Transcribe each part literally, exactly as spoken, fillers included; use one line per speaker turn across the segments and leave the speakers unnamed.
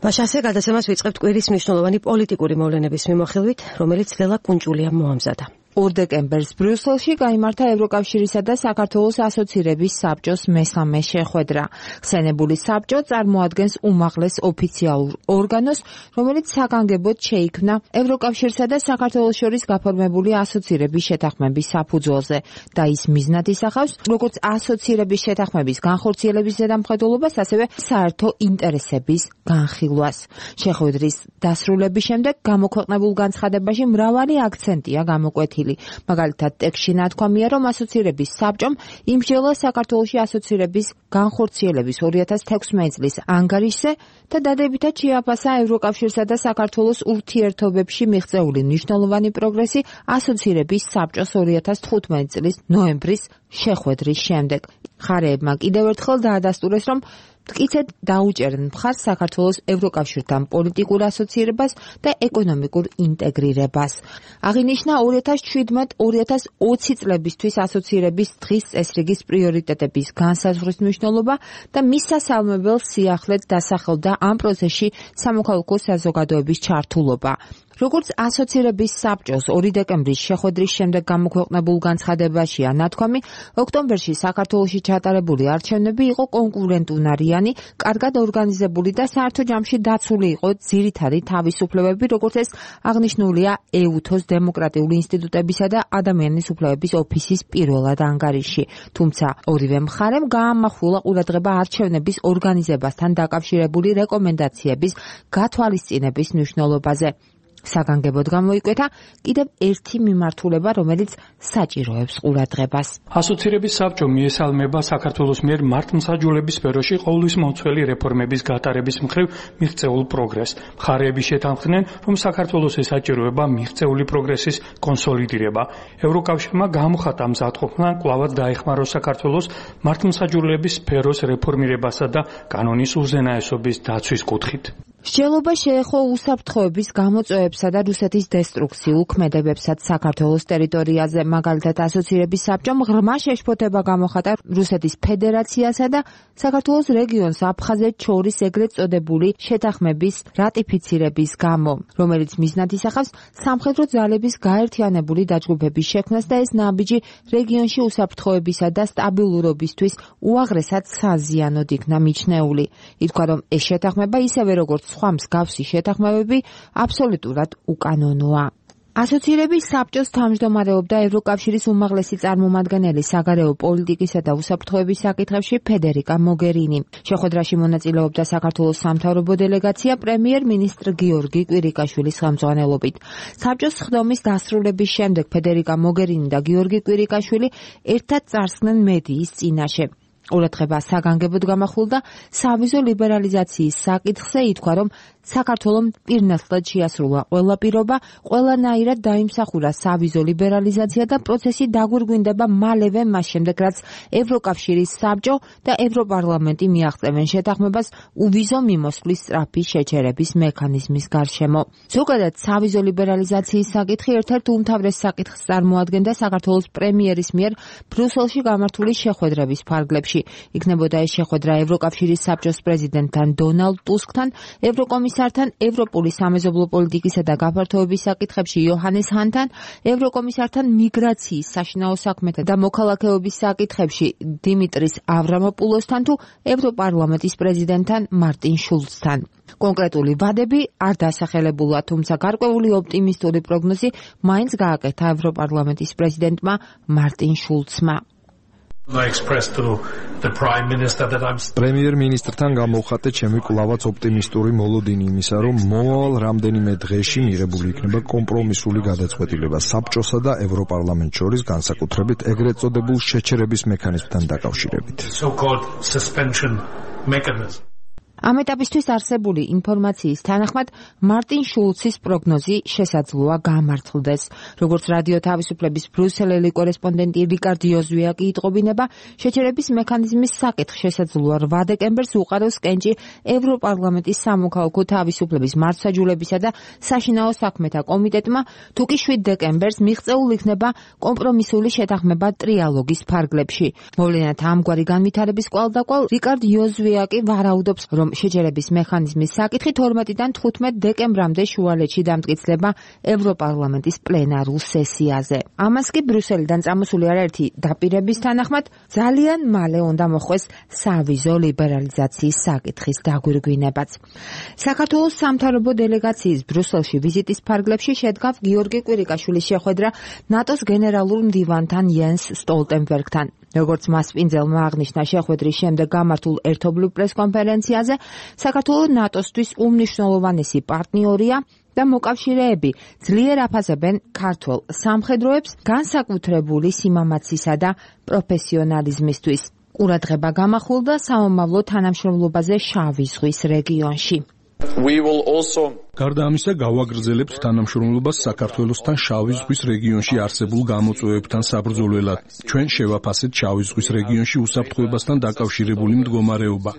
მაშასე გადაცემას ვიწყებთ კვირის მნიშვნელოვანი პოლიტიკური მოვლენების მიმოხილვით, რომელიც ლელა კუნჭულიამ მოამზადა.
ორ დეკემბერს ბრიუსელში გაიმართა ევროკავშირისა და საქართველოს ასოცირების საბჭოს მესამე შეხვედრა. ხსენებული საბჭო წარმოადგენს უმაღლეს ოფიციალურ ორგანოს, რომელიც საგანგებოდ შეიქმნა ევროკავშირსა და საქართველოს შორის გაფორმებული ასოცირების შეთანხმების საფუძველზე და ის მიზნად ისახავს როგორც ასოცირების შეთანხმების განხორციელების ზედამხედველობას, ასევე საერთო ინტერესების განხილვას. შეხვედრის დასრულების შემდეგ გამოქვეყნებულ განცხადებაში მრავალი აქცენტია გამოკვეთილი. მაგალითად, ტექსტში ნათქვამია, რომ ასოცირების საბჭომ იმსჯელა საქართველოში ასოცირების განხორციელების ორი ათას თექვსმეტი წლის ანგარიშზე და დადებითად შეაფასა ევროკავშირსა და საქართველოს ურთიერთობებში მიღწეული მნიშვნელოვანი პროგრესი ასოცირების საბჭოს ორი ათას თხუთმეტი წლის ნოემბრის შეხვედრის შემდეგ. მხარეებმა კიდევ ერთხელ დაადასტურეს, რომ მტკიცედ დაუჭერენ მხარს საქართველოს ევროკავშირთან პოლიტიკურ ასოცირებას და ეკონომიკურ ინტეგრირებას. აღინიშნა ორი ათას შვიდმეტ ორი ათას ოცი წლებისთვის ასოცირების დღის წესრიგის პრიორიტეტების განსაზღვრის მნიშვნელობა და მის სასალმებელ სიახლედ დასახელდა ამ პროცესში სამოქალაქო საზოგადოების ჩართულობა. როგორც ასოცირების საბჭოს ორი დეკემბრის შეხვედრის შემდეგ გამოქვეყნებულ განცხადებაშია ნათქვამი, ოქტომბერში საქართველოში ჩატარებული არჩევნები იყო კონკურენტუნარიანი, კარგად ორგანიზებული და საერთო ჯამში დაცული იყო ძირითადი თავისუფლებები, როგორც ეს აღნიშნულია ეუთოს დემოკრატიული ინსტიტუტებისა და ადამიანის უფლებების ოფისის პირველად ანგარიში. თუმცა ორივე მხარემ გაამახვილა ყურადღება არჩევნების ორგანიზებასთან დაკავშირებული რეკომენდაციების გათვალისწინების მნიშვნელობაზე. საგანგებოდ გამოიკვეთა კიდევ ერთი მიმართულება, რომელიც საჭიროებს ყურადღებას.
ასოცირების საბჭო მიესალმება საქართველოს მიერ მართლმსაჯულების სფეროში ყოვლისმომცველი რეფორმების გატარების მხრივ მიღწეულ პროგრესს. მხარეები შეთანხმდნენ, რომ საქართველოს ესაჭიროება მიღწეული პროგრესის კონსოლიდირება. ევროკავშირმა გამოხატა მზადყოფნა კვლავაც დაეხმაროს საქართველოს მართლმსაჯულების სფეროს რეფორმირებასა და კანონის უზენაესობის დაცვის კუთხით.
მსჯელობა შეეხო უსაფრთხოების გამოწვევებსა და რუსეთის დესტრუქციულ ქმედებებსაც საქართველოს ტერიტორიაზე. მაგალითად, ასოცირების საბჭომ ღრმა შეშფოთება გამოხატა რუსეთის ფედერაციასა და საქართველოს რეგიონს აფხაზეთს შორის ეგრეთ წოდებული შეთანხმების რატიფიცირების გამო, რომელიც მიზნად ისახავს სამხედრო ძალების გაერთიანებული დაჯგუფების შექმნას და ეს ნაბიჯი რეგიონში უსაფრთხოებისა და სტაბილურობისთვის უაღრესად საზიანოდ იქნა მიჩნეული. ითქვა, რომ ეს შეთანხმება ისევე როგორც სხვა მსგავსი შეთანხმებები აბსოლუტურად უკანონოა. ასოცირების საბჭოს თავმჯდომარეობდა ევროკავშირის უმაღლესი წარმომადგენელი საგარეო პოლიტიკისა და უსაფრთხოების საკითხებში ფედერიკა მოგერინი. შეხვედრაში მონაწილეობდა საქართველოს სამთავრობო დელეგაცია პრემიერ-მინისტრ გიორგი კვირიკაშვილის ხელმძღვანელობით. საბჭოს სხდომის დასრულების შემდეგ ფედერიკა მოგერინი და გიორგი კვირიკაშვილი ერთად წარსხნენ მედიის წინაშე. ყურადღება საგანგებოდ გამახვილდა სავიზო ლიბერალიზაციის საკითხზე, ითქვა, რომ საქართველომ პირნათლად შეასრულა ყველა პირობა, ყველანაირად დაიმსახურა სავიზო ლიბერალიზაცია და პროცესი დაგვირგვინდება მალევე მას შემდეგ, რაც ევროკავშირის საბჭო და ევროპარლამენტი მიაღწევენ შეთანხმებას უვიზო მიმოსვლის სწრაფი შეჩერების მექანიზმის გარშემო. ზოგადად, სავიზო ლიბერალიზაციის საკითხი ერთ-ერთ უმთავრეს საკითხს წარმოადგენდა საქართველოს პრემიერის მიერ ბრიუსელში გამართული შეხვედრების ფარგლებში. იქნებოდა ეს შეხვედრა ევროკავშირის საბჭოს პრეზიდენტთან დონალდ ტუსკთან, ევროკომისართან, ევროპული სამეზობლო პოლიტიკისა და გაფართოების საკითხებში იოჰანეს ჰანთან, ევროკომისართან მიგრაციის, საშინაო საქმეთა და მოქალაქეობის საკითხებში დიმიტრის ავრამოპულოსთან თუ ევროპარლამენტის პრეზიდენტთან მარტინ შულცთან. კონკრეტული ვადები არ დასახელებულა, თუმცა გარკვეული ოპტიმისტური პროგნოზი მაინც გააკეთა ევროპარლამენტის პრეზიდენტმა მარტინ შულცმა.
პრემიერ-მინისტრთან გამოვხატე ჩემი კვლავაც ოპტიმისტური მოლოდინი იმისა, რომ მომავალ რამდენიმე დღეში მიღებული იქნება კომპრომისული გადაწყვეტილება საბჭოსა და ევროპარლამენტს შორის, განსაკუთრებით ეგრეთ წოდებულ შეჩერების მექანიზმთან დაკავშირებით.
ამ ეტაპისთვის არსებული ინფორმაციის თანახმად მარტინ შულცის პროგნოზი შესაძლოა გამართლდეს. როგორც რადიო თავისუფლების ბრიუსელელი კორესპონდენტი რიკარდ იოზვიაკი იტყობინება, შეჩერების მექანიზმის საკითხი შესაძლოა რვა დეკემბერს უყაროს კენჭი ევროპარლამენტის სამოქალაქო თავისუფლების მართლმსაჯულებისა და საშინაო საქმეთა კომიტეტმა, თუ კი შვიდ დეკემბერს მიღწეულ იქნება კომპრომისული შეთანხმება ტრიალოგის ფარგლებში. მოვლენათა ამგვარი განვითარების კვალდაკვალ რიკარდ იოზვიაკი ვარაუდობს, რომ რომ შეჯერების მექანიზმის საკითხი თორმეტიდან თხუთმეტ დეკემბრამდე შუალედში დამტკიცდება ევროპარლამენტის პლენარულ სესიაზე. ამას კი ბრიუსელიდან წამოსული არაერთი დაპირების თანახმად ძალიან მალე უნდა მოხდეს სავიზო ლიბერალიზაციის საკითხის დაგვირგვინებაც. საქართველოს სამთავრობო დელეგაციის ბრიუსელში ვიზიტის ფარგლებში შედგა გიორგი კვირიკაშვილის შეხვედრა ნატოს გენერალურ მდივანთან იენს სტოლტენბერგთან. როგორც მასპინძელმა აღნიშნა შეხვედრის შემდეგ გამართულ ერთობლივ პრესკონფერენციაზე, საქართველოს ნატოსთვის უმნიშვნელოვანესი პარტნიორია და მოკავშირეები ძლიერ აფასებენ ქართველ სამხედროებს განსაკუთრებული სიმამაცისა და პროფესიონალიზმისთვის. ყურადღება გამახვილდა სამომავლო თანამშრომლობაზე შავი ზღვის რეგიონში.
We will also
გარდა ამისა, გავაგრძელებთ თანამშრომლობას საქართველოსთან შავი ზღვის რეგიონში არსებულ გამოწვევებთან საბრძოლველად. ჩვენ შევაფასეთ შავი ზღვის რეგიონში უსაფრთხოებასთან დაკავშირებული მდგომარეობა.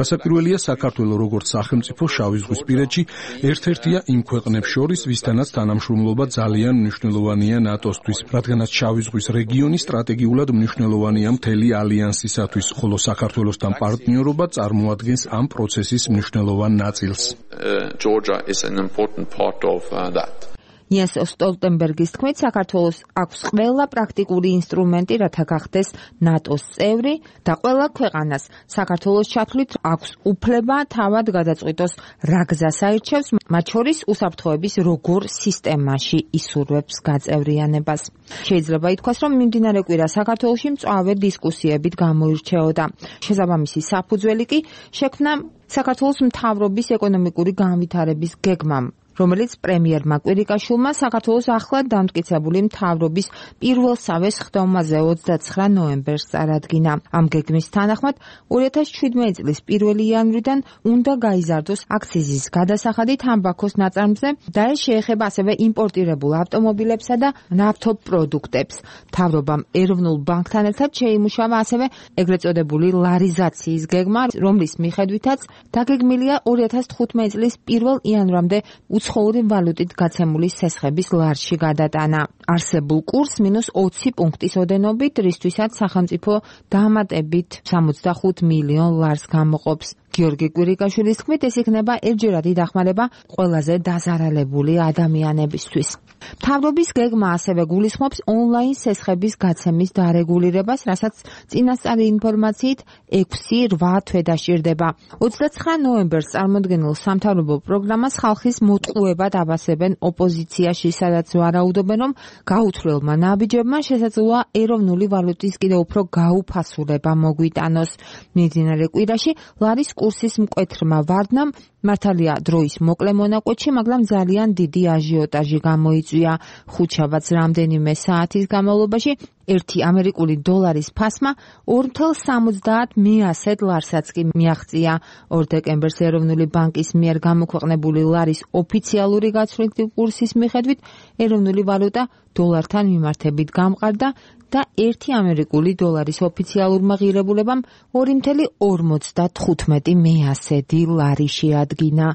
რასაკვირველია, საქართველოს როგორც სახელმწიფო შავი ზღვის პირეთში ერთ-ერთია იმ ქვეყნებს შორის, ვისთანაც თანამშრომლობა ძალიან მნიშვნელოვანია ნატოსთვის, რადგანაც შავი ზღვის რეგიონი სტრატეგიულად მნიშვნელოვანია მთელი ალიანსისათვის, ხოლო საქართველოსთან პარტნიორობა წარმოადგენს ამ პროცესის მნიშვნელოვან ნაწილს.
uh, Georgia is an important part of uh, that.
იენს სტოლტენბერგის თქმით, საქართველოს აქვს ყველა პრაქტიკული ინსტრუმენტი, რათა გახდეს ნატოს წევრი და ყველა ქვეყანას საქართველოს ჩათვლით აქვს უფლება თავად გადაწყვიტოს რა გზას აირჩევს, მათ შორის უსაფრთხოების როგორ სისტემაში ისურვებს გაწევრიანებას. შეიძლება ითქვას, რომ მიმდინარე კვირა საქართველოში მწვავე დისკუსიებით გამოირჩეოდა. შესაბამისი საფუძველი კი შექმნა საქართველოს მთავრობის ეკონომიკური განვითარების გეგმამ, რომელიც პრემიერმა კვირიკაშვილმა საქართველოს ახლად დამტკიცებული მთავრობის პირველსავე სხდომაზე ოცდაცხრა ნოემბერს წარადგინა. ამ გეგმის თანახმად ორი ათას შვიდმეტი წლის პირველი იანვრიდან უნდა გაიზარდოს აქციზის გადასახადი თამბაქოს ნაწარმზე და ეს შეეხება ასევე იმპორტირებულ ავტომობილებსა და ნავთობპროდუქტებს. მთავრობამ ეროვნულ ბანკთან ერთად შეიმუშავა ასევე ეგრეთ წოდებული ლარიზაციის გეგმა, რომლის მიხედვითაც დაგეგმილია ორი ათას თხუთმეტი წლის პირველ იანვრამდე უცხოური ვალუტით გაცემული სესხების ლარში გადატანა. არსებულ კურსს მინუს ოცი პუნქტის ოდენობით, რისთვისაც სახელმწიფო დამატებით სამოცდახუთ მილიონ ლარს გამოყოფს. გიორგი კვირიკაშვილის თქმით, ეს იქნება ერთჯერადი დახმარება ყველაზე დაზარალებული ადამიანებისთვის. მთავრობის გეგმა ასევე გულისხმობს ონლაინ სესხების გაცემის დარეგულირებას, რასაც წინასწარი ინფორმაციით ექვსი რვა თვე დაჭირდება. ოცდაცხრა ნოემბერს წარმოდგენილ სამთავრობო პროგრამას ხალხის მოტყუებად აბასებენ ოპოზიციაში, სადაც ვარაუდობენ, რომ გაუთვლელმა ნაბიჯებმა შესაძლოა ეროვნული ვალუტის კიდევ უფრო გაუფასულება მოგვიტანოს. მიმდინარე კვირაში ლარის კურსის მკვეთრმა ვარდნამ მართალია დროის მოკლე მონაკვეთში, მაგრამ ძალიან დიდი აჟიოტაჟი გამოიწვია. ხუთშაბათს რამდენიმე საათის განმავლობაში ერთი ამერიკული დოლარის ფასმა ორი ათას სამოცდაათ მეათე ლარსაც კი მიაღწია. ორ დეკემბერს ეროვნული ბანკის მიერ გამოქვეყნებული ლარის ოფიციალური გაცვლითი კურსის მიხედვით ეროვნული ვალუტა დოლართან მიმართებით გამყარდა და ერთი ამერიკული დოლარის ოფიციალურმა ღირებულებამ ორი ათას ორმოცდათხუთმეტი მეათედი ლარი შეადგინა.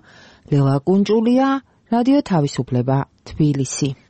ლელა კუნჭულია, რადიო თავისუფლება, თბილისი.